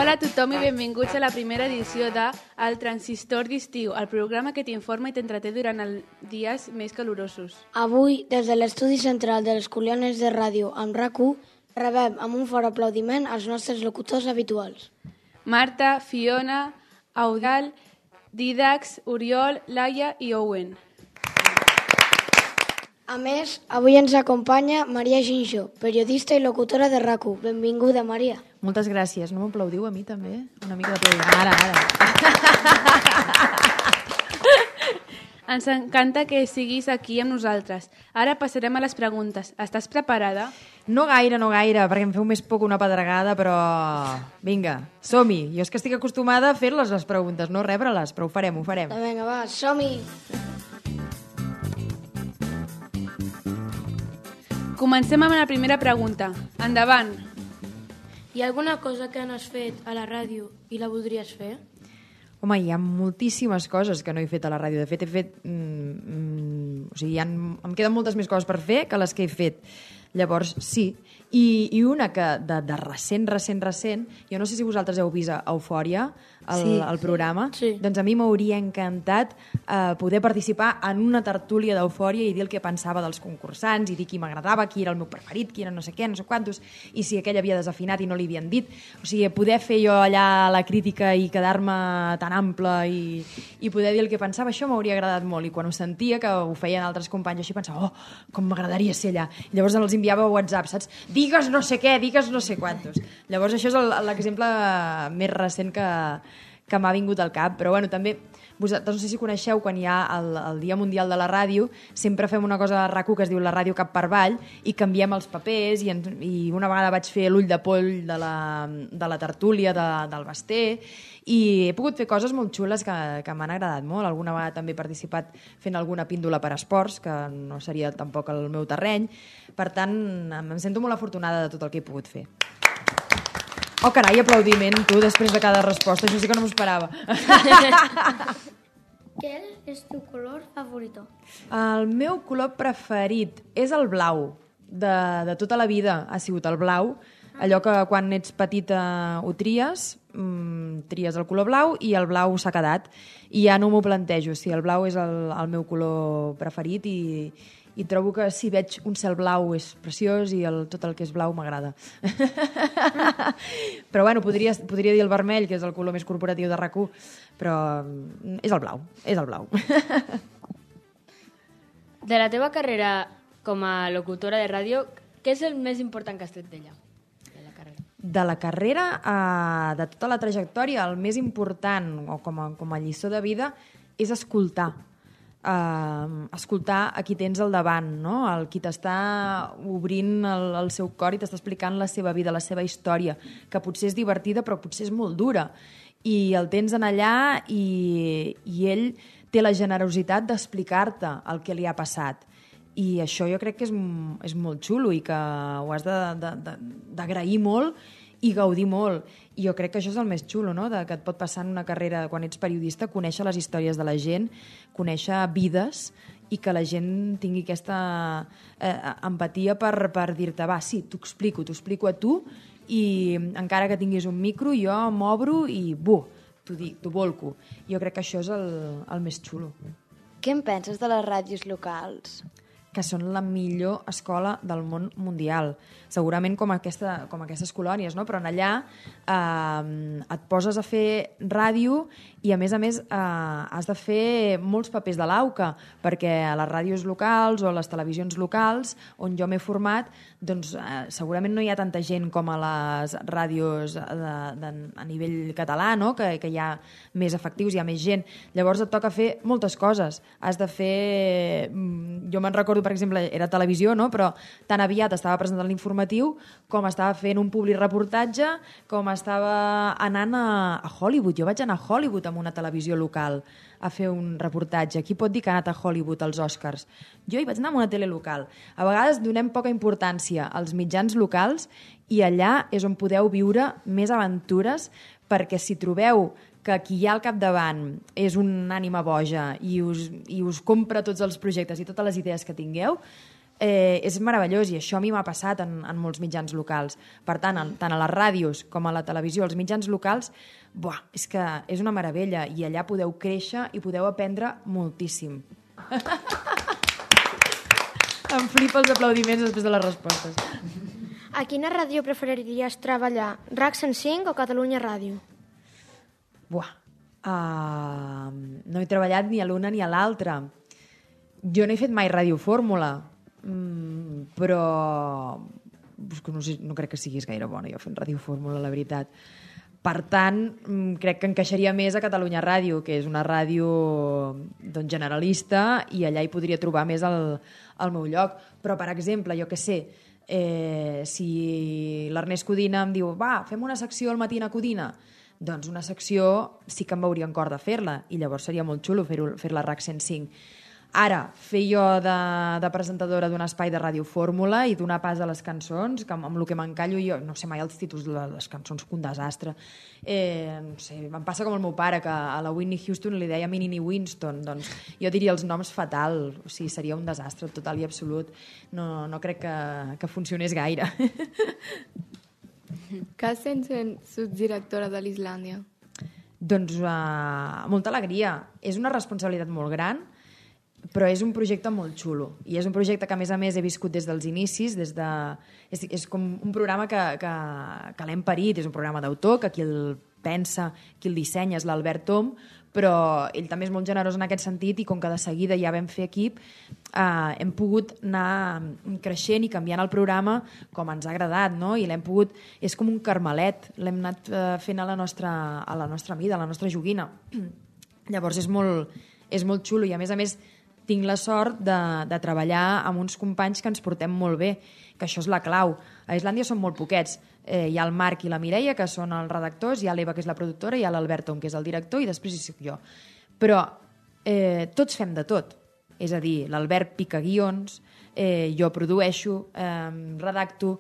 Hola a tothom i benvinguts a la primera edició de El Transistor d'Estiu, el programa que t'informa i t'entreté durant els dies més calorosos. Avui, des de l'estudi central de les Coliones de Ràdio amb RAC1, rebem amb un fort aplaudiment els nostres locutors habituals. Marta, Fiona, Audal, Didax, Oriol, Laia i Owen. A més, avui ens acompanya Maria Ginxó, periodista i locutora de RAC1. Benvinguda, Maria. Moltes gràcies. No m'aplaudiu a mi, també? Una mica d'aplaudiment. Ara. Ens encanta que siguis aquí amb nosaltres. Ara passarem a les preguntes. Estàs preparada? No gaire, perquè em feu més poc una pedregada, però... Vinga, som-hi. Jo és que estic acostumada a fer-les, les preguntes, no rebre-les, però ho farem. Vinga, va, som-hi. Comencem amb la primera pregunta. Endavant. Hi ha alguna cosa que no has fet a la ràdio i la voldries fer? Home, hi ha moltíssimes coses que no he fet a la ràdio. De fet, he fet... o sigui, em queden moltes més coses per fer que les que he fet. Llavors, sí. I una que de recent, jo no sé si vosaltres heu vist Eufòria, el programa, sí. Doncs a mi m'hauria encantat poder participar en una tertúlia d'Eufòria i dir el que pensava dels concursants i dir qui m'agradava, qui era el meu preferit, qui era no sé què, no sé quantos, i si aquell havia desafinat i no li havien dit. O sigui, poder fer jo allà la crítica i quedar-me tan ample i poder dir el que pensava, això m'hauria agradat molt. I quan ho sentia, que ho feien altres companys, així pensava, com m'agradaria ser allà. I llavors els enviava a WhatsApp, saps? Digues no sé què, digues no sé quantos. Llavors això és l'exemple més recent que m'ha vingut al cap. Però bueno, també, vosaltres no sé si coneixeu, quan hi ha el Dia Mundial de la Ràdio, sempre fem una cosa a RAC1 que es diu la ràdio cap per avall i canviem els papers i una vegada vaig fer l'ull de poll de la tertúlia del Basté i he pogut fer coses molt xules que m'han agradat molt. Alguna vegada també he participat fent alguna píndola per esports, que no seria tampoc el meu terreny. Per tant, em sento molt afortunada de tot el que he pogut fer. Oh, carai, aplaudiment, tu, després de cada resposta. Això sí que no m'ho esperava. ¿Qué es tu color favorito? El meu color preferit és el blau. De tota la vida ha sigut el blau. Allò que quan ets petita ho tries el color blau i el blau s'ha quedat. I ja no m'ho plantejo. Sí, el blau és el meu color preferit i trobo que si veig un cel blau és preciós i tot el que és blau m'agrada. Però bueno, podria dir el vermell, que és el color més corporatiu de RAC1, però és el blau. De la teva carrera com a locutora de ràdio, què és el més important que has tret d'ella? De la carrera, de tota la trajectòria, el més important, o com a lliçó de vida, és escoltar. Escoltar a qui tens al davant, no? El qui t'està obrint el seu cor i t'està explicant la seva vida, la seva història, que potser és divertida però potser és molt dura. I el tens en allà i ell té la generositat d'explicar-te el que li ha passat. I això jo crec que és molt xulo i que ho has d'agrair molt i gaudir molt. I jo crec que això és el més xulo, no? Que et pot passar en una carrera, quan ets periodista, conèixer les històries de la gent, conèixer vides i que la gent tingui aquesta empatia per dir-te, va, sí, t'ho explico a tu i encara que tinguis un micro, jo m'obro i t'ho volco. Jo crec que això és el més xulo. Què en penses de les ràdios locals? Que són la millor escola del món mundial. Segurament com aquestes colònies, no? Però en allà et poses a fer ràdio i, a més, has de fer molts papers de l'AUCA, perquè a les ràdios locals o a les televisions locals on jo m'he format, doncs segurament no hi ha tanta gent com a les ràdios a nivell català, no? Que hi ha més efectius, hi ha més gent. Llavors et toca fer moltes coses. Has de fer... Jo me'n recordo, per exemple, era televisió, no? Però tan aviat estava presentant l'informatiu com estava fent un publireportatge, com estava anant a Hollywood. Jo vaig anar a Hollywood amb una televisió local a fer un reportatge. Qui pot dir que ha anat a Hollywood als Oscars? Jo hi vaig anar amb una tele local. A vegades donem poca importància als mitjans locals i allà és on podeu viure més aventures, perquè si trobeu que qui hi ha al capdavant és una ànima boja i us compra tots els projectes i totes les idees que tingueu, és meravellós, i això a mi m'ha passat en molts mitjans locals. Per tant, tant a les ràdios com a la televisió, als mitjans locals, és que és una meravella, i allà podeu créixer i podeu aprendre moltíssim. Em flipa els aplaudiments després de les respostes. A quina ràdio preferiries treballar? RAC 105 o Catalunya Ràdio? No he treballat ni a l'una ni a l'altra. Jo no he fet mai radiofórmula, però no crec que siguis gaire bona jo fent radiofórmula, la veritat. Per tant, crec que encaixaria més a Catalunya Ràdio, que és una ràdio generalista, i allà hi podria trobar més el meu lloc. Però, per exemple, jo què sé, si l'Ernest Codina em diu fem una secció al matí a Codina, doncs una secció sí que em veuria en cor de fer-la, i llavors seria molt xulo fer-la a RAC 105. Ara, fer jo de presentadora d'un espai de radiofórmula i donar pas a les cançons, que amb el que m'encallo jo, no sé mai els títols de les cançons, que un desastre. No sé, em passa com el meu pare, que a la Whitney Houston li deia Minnie Winston, doncs jo diria els noms fatal, o sigui, seria un desastre total i absolut. No crec que funcionés gaire. Què sents en subdirectora de l'Islàndia? Doncs molta alegria. És una responsabilitat molt gran, però és un projecte molt xulo, i és un projecte que a més he viscut des dels inicis, és com un programa que l'hem parit, és un programa d'autor, que qui el pensa, qui el dissenya és l'Albert Tom, però ell també és molt generós en aquest sentit, i com que de seguida ja vam fer equip, hem pogut anar creixent i canviant el programa com ens ha agradat, no? I l'hem pogut... És com un carmelet, l'hem anat fent a la nostra mida, a la nostra joguina. Llavors és molt xulo, i a més tinc la sort de treballar amb uns companys que ens portem molt bé, que això és la clau. A Islàndia són molt poquets. Hi ha el Marc i la Mireia, que són els redactors, hi ha l'Eva, que és la productora, hi ha l'Albert Tom, que és el director, i després hi soc jo. Però tots fem de tot. És a dir, l'Albert pica guions, jo produeixo, redacto,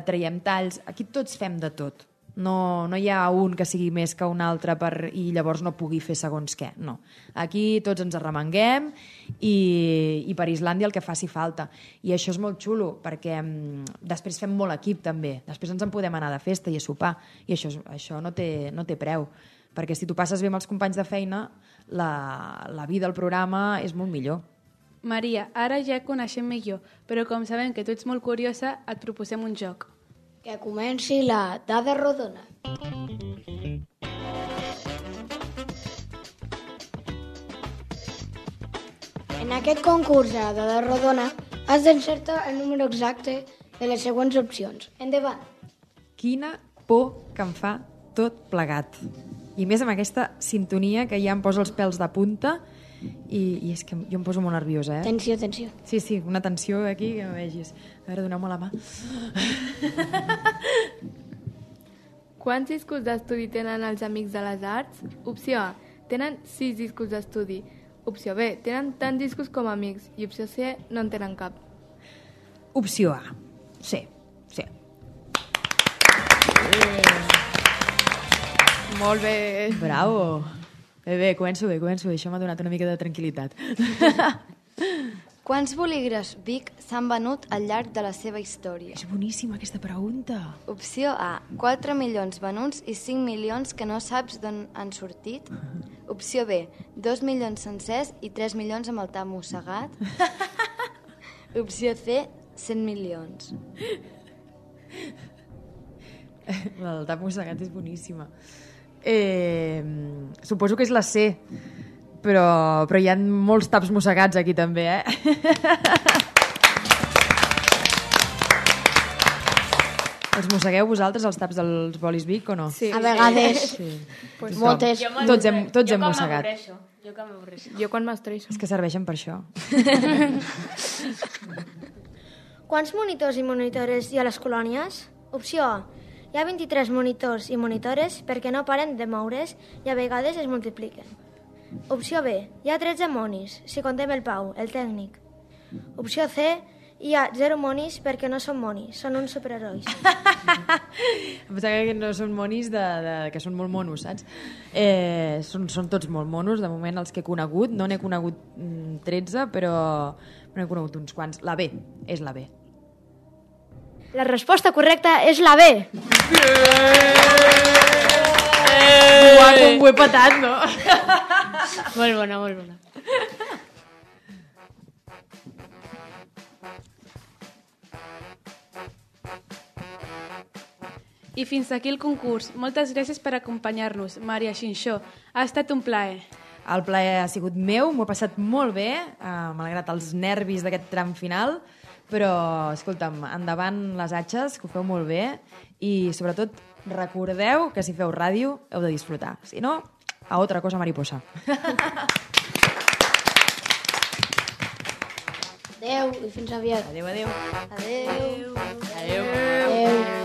traiem talls... Aquí tots fem de tot. No hi ha un que sigui més que un altre i llavors no pugui fer segons què, no. Aquí tots ens arremanguem i per Islàndia el que faci falta. I això és molt xulo, perquè després fem molt equip també. Després ens en podem anar de festa i a sopar, i això no té preu, perquè si tu passes bé amb els companys de feina, la vida al programa és molt millor. Maria, ara ja et coneixem millor, però com sabem que tu ets molt curiosa, et proposem un joc. Que comenci la dada rodona. En aquest concurs de dada rodona has d'encertar el número exacte de les següents opcions. Endavant. Quina por que em fa tot plegat. I més amb aquesta sintonia que ja em posa els pèls de punta, i és que jo em poso molt nerviosa, eh? Tensió. Sí, una tensió aquí que no vegis. A veure, doneu-me la mà. Quants discos d'estudi tenen els Amics de les Arts? Opció A, tenen 6 discos d'estudi. Opció B, tenen tants discos com amics. I opció C, no en tenen cap. Opció A. Sí. Molt bé. Bravo. Bé, començo bé. Això m'ha donat una mica de tranquil·litat. Quants bolígrafs Bic s'han venut al llarg de la seva història? És boníssima aquesta pregunta. Opció A, 4 milions venuts i 5 milions que no saps d'on han sortit. Opció B, 2 milions sencers i 3 milions amb el tap mossegat. Opció C, 100 milions. El tap mossegat és boníssima. Suposo que és la C, però hi ha molts taps mossegats aquí també, eh? Els mossegueu vosaltres, els taps dels bolis Bic, o no? Sí. A vegades. Sí. Moltes. Tots hem mossegat. Jo quan m'estreixo. És que serveixen per això. Quants monitors i monitores hi ha a les colònies? Opció A. Hi ha 23 monitors i monitores perquè no paren de moure's i a vegades es multipliquen. Opció B. Hi ha 13 monis, si contem el Pau, el tècnic. Opció C. Hi ha 0 monis perquè no són monis, són uns superherois. Em pensava que no són monis, que són molt monos, saps? Són tots molt monos, de moment els que he conegut. No n'he conegut 13, però n'he conegut uns quants. La B, és la B. La resposta correcta és la B. Uau, com ho he patat, no? Molt bona, molt bona. I fins aquí el concurs. Moltes gràcies per acompanyar-nos, Maria Xinxó. Ha estat un plaer. El plaer ha sigut meu, m'ho he passat molt bé, malgrat els nervis d'aquest tram final, però, escolta'm, endavant les atxes, que ho feu molt bé, i sobretot recordeu que si feu ràdio heu de disfrutar. Si no, a otra cosa mariposa. Adéu i fins aviat. Adéu, adéu. Adéu. Adéu. Adéu.